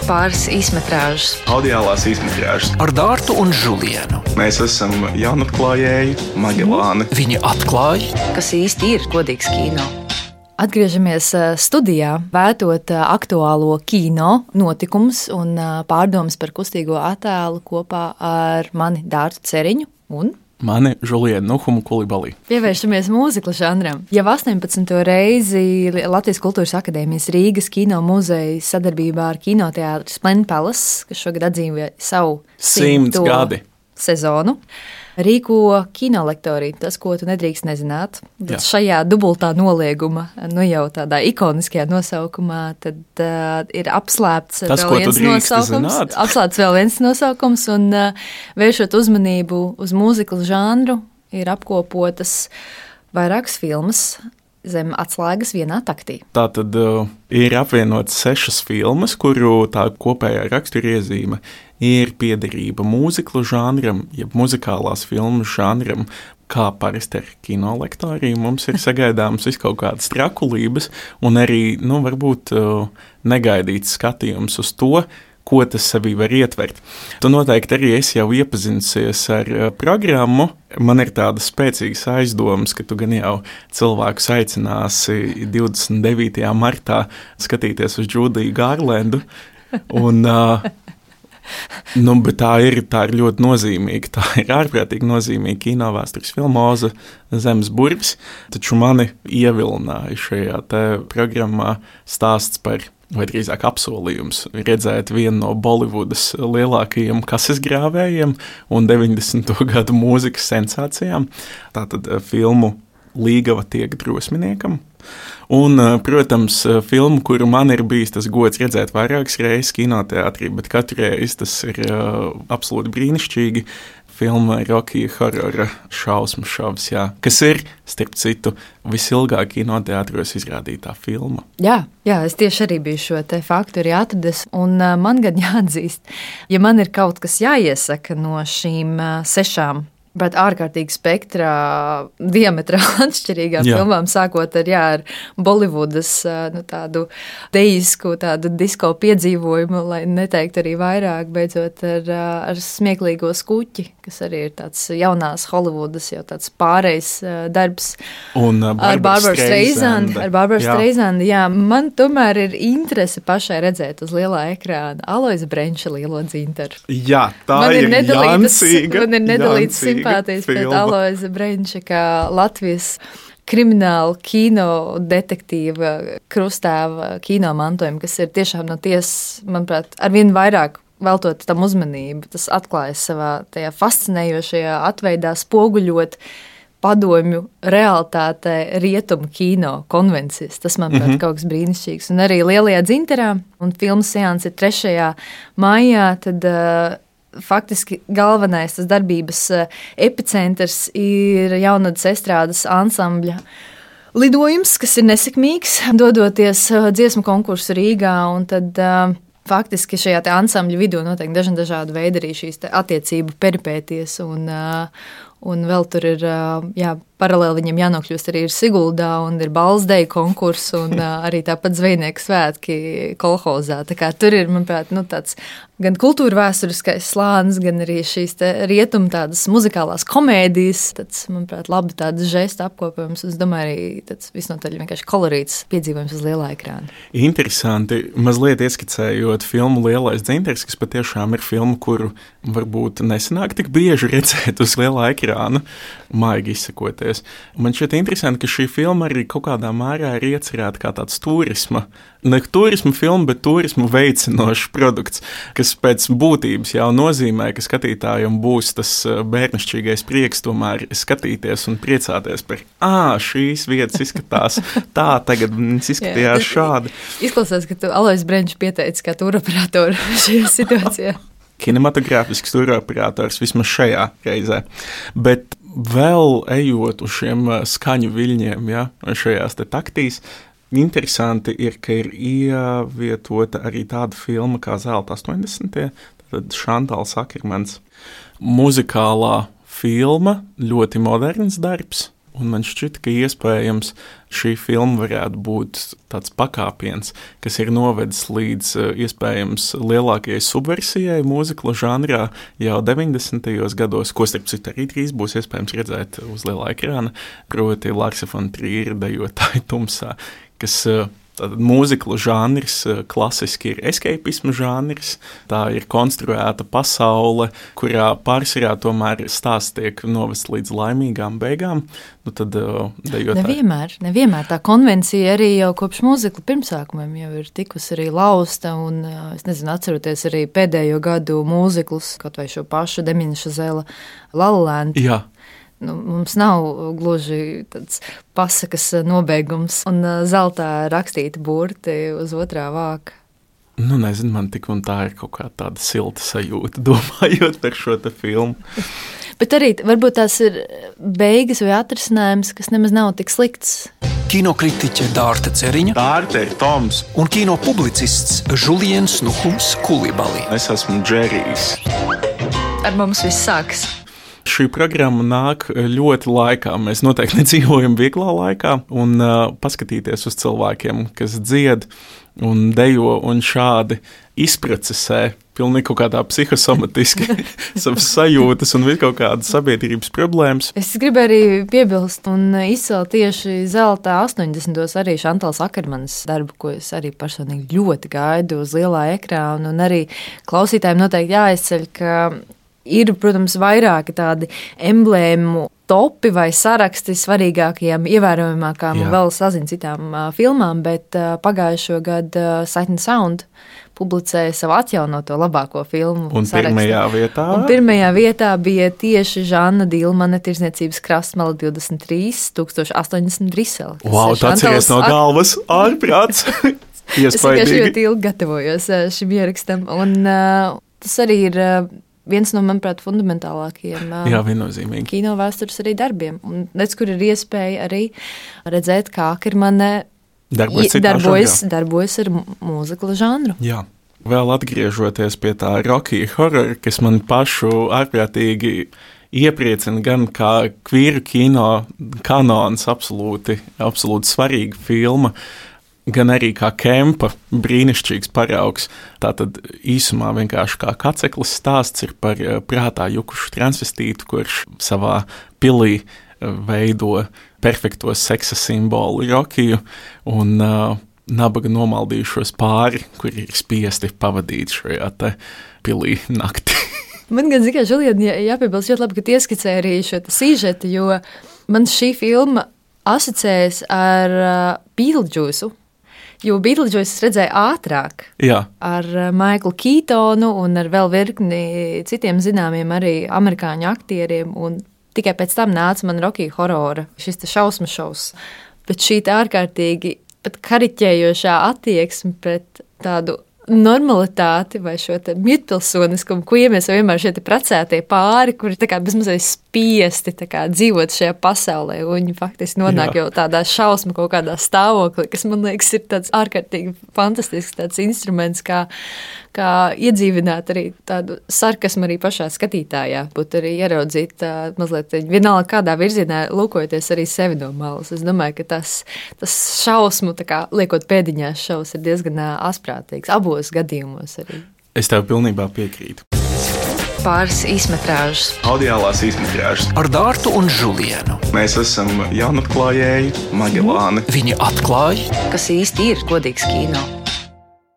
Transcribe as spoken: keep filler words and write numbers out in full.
pāris īsmetrāžas. Audiālās īsmetrāžas. Ar Dārtu un Žulienu. Mēs esam jaunatklājēji Magelāni. Viņi atklāja, Kas īsti ir godīgs kino? Atgriežamies studijā, vētot aktuālo kino notikumus un pārdomas par kustīgo attēlu kopā ar mani Dārtu Ceriņu un Mani Žulienu Nuhumu Kulibalī. pievēršamies mūzikla žanram. Jau astoņpadsmito reizi Latvijas Kultūras akadēmijas Rīgas kino muzeja sadarbībā ar kinoteātru Splendid Palace, kas šogad atzīmē savu Simts gadi. sezonu, rīko kinolektoriju, tas, ko tu nedrīkst nezināt. Tad Jā. šajā dubultā nolieguma, nu jau tādā ikoniskajā nosaukumā, tad uh, ir apslēpts Tas, vēl ko tu viens drīkst nosaukums. zināt. Apslēpts vēl viens nosaukums, un uh, vēršot uzmanību uz mūzikla žanru, ir apkopotas vairākas filmas zem atslēgas vienā taktī. Tā tad uh, ir apvienotas sešas filmas, kuru tā kopējā raksturiezīme ir piederība mūziklu žanram, jeb muzikālās filmas žanram, kā parasti ar kinolektoriju. Mums ir sagaidāmas vis kaut kādas trakulības un arī, nu, varbūt uh, negaidīts skatījums uz to, ko tas sevī var ietvert. Tu noteikti arī esi jau iepazinusies ar uh, programmu. Man ir tādas spēcīgas aizdomas, ka tu gan jau cilvēkus aicināsi divdesmit devītajā martā skatīties uz Džudiju Gārlendu. Un, uh, nu, bet tā ir, tā ir ļoti nozīmīga. Tā ir ārprātīgi nozīmīga kinovēstures filma Oza Zemes burvis. Taču mani ievilināja šajā te programmā stāsts par, vai drīzāk apsolījums, redzēt vienu no Bolivudas lielākajiem kases grāvējiem un deviņdesmito gadu mūzikas sensācijām. Tātad filmu Līgava tiek drosminiekam. Un, protams, filmu, kuru man ir bijis tas gods redzēt vairākas reizes kinoteātrī, bet katru reizi tas ir uh, absolūti brīnišķīgi. Filma Rocky Horrora šausmu šovs, jā, kas ir, starp citu, visilgāk kinoteātros izrādītā filma. Jā, jā, es tieši arī biju šo te faktu arī atradis, un uh, man gan jāatzīst, ja man ir kaut kas jāiesaka no šīm uh, sešām, bet ārkārtīgi spektrā diametrāli atšķirīgām Jā. filmām, sākot ar, jā, ar Bolivudas nu, tādu deisku, tādu disko piedzīvojumu, lai neteikt arī vairāk, beidzot ar, ar smieklīgo skuķi, kas arī ir tāds jaunās Holivudas, jau tāds pārējs darbs. Un uh, Ar Barbara Streisand. Ar Barbara Jā. Streisand, jā. Man tomēr ir interese pašai redzēt uz lielā ekrāna Aloisa Brenča lielo dzintaru. Jā, tā Man ir ir nedalītas, jancīga, man ir nedalītas jancīga simpātijas pret filma. Aloisa Brenča, kā Latvijas krimināla kino detektīva krustāva kino mantojuma, kas ir tiešām no tiesas, manuprāt, arvien vairāk veltot tam uzmanību. Tas atklājas savā tajā fascinējošajā atveidā spoguļot padomju realitātē rietumu kino konvencijas. Tas, manuprāt, mm-hmm. kaut kas brīnišķīgs. Un arī lielajā dzinterā, un filmas seanss ir trešajā maijā, tad uh, faktiski galvenais tas darbības uh, epicentrs ir Jaunatnes estrādes ansambļa lidojums, kas ir nesekmīgs, dodoties uh, dziesmu konkursu Rīgā, un tad uh, faktiski šajā te ansambļa vidū notiek dažna dažādu veidu arī šīs te attiecību peripēties, un, uh, un vēl tur ir, uh, jā, paralēli viņam jānokļūst arī ir Siguldā, un ir balsdeju konkurss, un uh, arī tāpat zvejnieku svētki kolhozā. Tā kā tur ir, manuprāt, nu, tāds gan kultūra vēsturiskais slānis, gan arī šīs te rietumu tādas muzikālās komēdijas, tāds, manuprāt, labi tādas žesta apkopojums, un es domāju arī tāds visnotaļ vienkārši kolorīts piedzīvojums uz lielā ekrāna. Interesanti, mazliet ieskicējot filmu Lielais dzintars, kas patiešām ir filma, kuru varbūt nesanāk tik bieži redzēt uz lielā ekrāna, maigi izsakoties. Man šķiet interesanti, ka šī filma arī kaut kādā mērā ir iecerēta kā tāds turisma, ne turisma filma, bet turismu veicinošs produkts, kas pēc būtības jau nozīmē, ka skatītājiem būs tas bērnišķīgais prieks tomēr skatīties un priecāties par, ā, šīs vietas izskatās tā, tagad viņas izskatījās Jā, šādi. Izklausās, ka tu Alois Brenčs pieteici kā turoperatoru šajā situācijā. Kinematogrāfisks turoperators vismaz šajā reizē. Bet vēl ejot uz šiem skaņu viļņiem, ja, šajās te taktīs, interesanti ir, ka ir ievietota arī tāda filma kā Zelta astoņdesmitie, tad Šantāls Akermans. Muzikālā filma, ļoti moderns darbs, Un man šķita, ka iespējams šī filma varētu būt tāds pakāpiens, kas ir novedis līdz iespējams lielākajai subversijai mūzikla žanrā jau deviņdesmitajos gados, ko starp citu arī drīz būs iespējams redzēt uz lielā ekrāna, proti Larsa von Trīra dejotāji tumsā, kas tātad mūzikla žanrs klasiski ir escapisma žanrs, tā ir konstruēta pasaule, kurā pārsvarā tomēr stāsts tiek novest līdz laimīgām beigām. Nu tad dejotāji. Nevienmēr, nevienmēr tā konvencija arī jau kopš mūzikla pirmsākumiem jau ir tikusi arī lausta, un es nezinu, atceroties arī pēdējo gadu mūziklus, kaut vai šo pašu Damien Chazelle La La Land. Jā. Nu, mums nav gluži tāds pasakas nobeigums un zeltā rakstīti burti uz otrā vāka. Nu, nezinu, man tik un tā ir kaut kā tāda silta sajūta, domājot par šo te filmu. Bet arī varbūt tās ir beigas vai atrisinājums, kas nemaz nav tik slikts. Kinokritiķe Dārta Ceriņa. Dārta ir Toms. Un kino publicists Žuliens Nukums Kulibali. Es esmu Džerijs. Ar mums viss sākas. Šī programma nāk ļoti laikā. Mēs noteikti nedzīvojam vieglā laikā, un uh, paskatīties uz cilvēkiem, kas dzied un dejo un šādi izprocesē pilnīgi kaut kādā psihosomatiski savas sajūtas un visu kaut kādas sabiedrības problēmas. Es gribēju arī piebilst un izcelt tieši zeltā astoņdesmitos arī Šantāls Akermanas darbu, ko es arī personīgi ļoti gaidu uz lielā ekrāna, un arī klausītājiem noteikti jāizceļ, ka ir, protams, vairāki tādi emblēmu topi vai saraksti svarīgākajām, ievērojamākām un vēl sazin citām uh, filmām, bet uh, pagājušo gadu uh, Sight and Sound publicēja savu atjaunoto labāko filmu un sarakstu. Pirmajā vietā? Un pirmajā vietā bija tieši Žanna Dilmane Tirzniecības krastmala divdesmit trīs tūkstoši astoņdesmit Brisele. Wow, tāds ir no galvas ārprāts. Es vienkārši ļoti ilgi gatavojos uh, šim ierakstam, un uh, tas arī ir uh, viens no, manuprāt, fundamentālākajiem Jā, viennozīmīgi. Kino vēstures arī darbiem. Un redz, kur ir iespēja arī redzēt, kā Akermane darbojas, darbojas, darbojas ar mūzikla žanru. Jā. Vēl atgriežoties pie tā Rocky horror, kas man pašu ārprātīgi iepriecina gan kā kvīru kino kanons, absolūti, absolūti svarīga filma, gan arī kā Kempa brīnišķīgs paraugs. Tātad īsumā vienkārši kā kaceklis stāsts ir par prātā jukušu transvestītu, kurš savā pilī veido perfekto seksa simbolu Rokiju un uh, nabaga nomaldījušos pāri, kuri ir spiesti pavadīt šajā te pilī nakti. Man gan zikai, Žulien, jā, jāpiebilst ļoti labi, ka ieskicē arī šo sīžetu, jo man šī filma asociējas ar uh, Beetlejuice. Jo Beetlejuice es redzēju ātrāk Jā. Ar Maiklu Kītonu un ar vēl virkni citiem zināmiem arī amerikāņu aktieriem, un tikai pēc tam nāca man Rocky horrora, šis te šausmu šovs. Bet šī tā ārkārtīgi pat kariķējošā attieksme pret tādu normalitāti vai šo te mītpilsoniskumu, ko iemies vienmēr šie te precētie pāri, kuri tā kā bezmazliet spiesti tā kā dzīvot šajā pasaulē, un viņi faktiski nonāk Jā. Jau tādā šausmu kaut kādā stāvoklī, kas man liekas ir tāds ārkārtīgi fantastisks tāds instruments, kā, kā iedzīvināt arī tādu sarkasmu arī pašā skatītājā, būt arī ieraudzīt tā, mazliet vienalga kādā virzienā lūkojoties arī sevi no malas. Es domāju, ka tas, tas šausmu, tā kā liekot pēdiņās šaus, ir diezgan asprātīgs. Abos gadījumos arī. Es tev pilnībā piekrītu. Pāris īsmetrāžas. Audiālās īsmetrāžas. Ar Dārtu un Žulienu. Mēs esam jaunatklājēji, Magellāni. Viņi atklāja, Kas īsti ir godīgs kino.